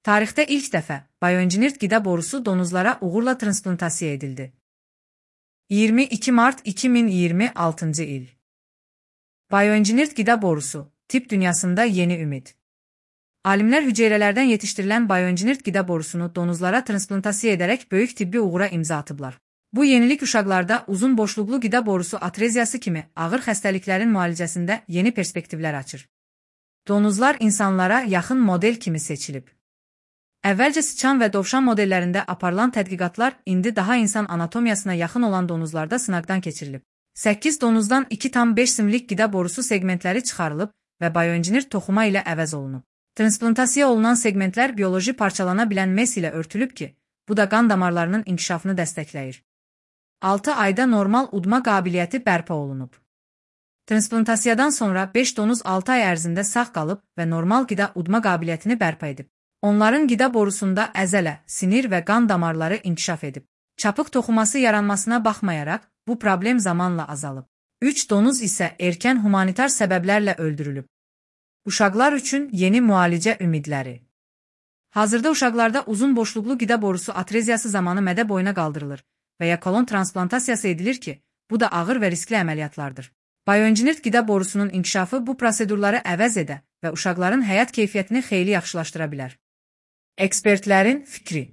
Tarixdə ilk dəfə bioengineered qida borusu donuzlara uğurla transplantasiya edildi. 22 mart 2026 il. Bioengineered qida borusu, tibb dünyasında yeni ümid. Alimlər hüceyrələrdən yetişdirilən bioengineered qida borusunu donuzlara transplantasiya edərək böyük tibbi uğura imza atıblar. Bu yenilik uşaqlarda uzun boşluqlu qida borusu atreziyası kimi ağır xəstəliklərin müalicəsində yeni perspektivlər açır. Donuzlar insanlara yaxın model kimi seçilib. Əvvəlcə sıçan və dovşan modellərində aparılan tədqiqatlar indi daha insan anatomiyasına yaxın olan donuzlarda sınaqdan keçirilib. 8 donuzdan 2,5 simlik qida borusu segmentləri çıxarılıb və bioengineered toxuma ilə əvəz olunub. Transplantasiya olunan segmentlər bioloji parçalana bilən mes ilə örtülüb ki, bu da qan damarlarının inkişafını dəstəkləyir. 6 ayda normal udma qabiliyyəti bərpa olunub. Transplantasiyadan sonra 5 donuz 6 ay ərzində sağ qalıb və normal qida udma qabiliyyətini bərpa edib. Onların qida borusunda əzələ, sinir və qan damarları inkişaf edib. Çapıq toxuması yaranmasına baxmayaraq, bu problem zamanla azalıb. 3 donuz isə erkən humanitar səbəblərlə öldürülüb. Uşaqlar üçün yeni müalicə ümidləri. Hazırda uşaqlarda uzun boşluqlu qida borusu atreziyası zamanı mədə boyuna qaldırılır və ya kolon transplantasiyası edilir ki, bu da ağır və riskli əməliyyatlardır. Bioengineered qida borusunun inkişafı bu prosedurları əvəz edə və uşaqların həyat keyfiyyətini xeyli yaxşılaşdıra bilər. Ekspertlərin fikri.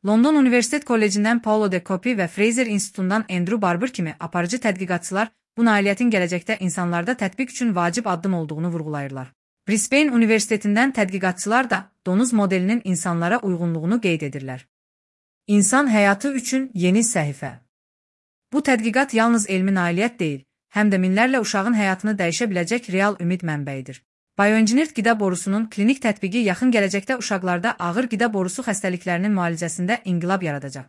London Universitet Kollecindən Paulo de Copi və Fraser İnstitutundan Andrew Barber kimi aparıcı tədqiqatçılar bu nailiyyətin gələcəkdə insanlarda tətbiq üçün vacib addım olduğunu vurğulayırlar. Brisbane Universitetindən tədqiqatçılar da donuz modelinin insanlara uyğunluğunu qeyd edirlər. İnsan həyatı üçün yeni səhifə. Bu tədqiqat yalnız elmi nailiyyət deyil, həm də minlərlə uşağın həyatını dəyişə biləcək real ümid mənbəyidir. Bioengineered qida borusunun klinik tətbiqi yaxın gələcəkdə uşaqlarda ağır qida borusu xəstəliklərinin müalicəsində inqilab yaradacaq.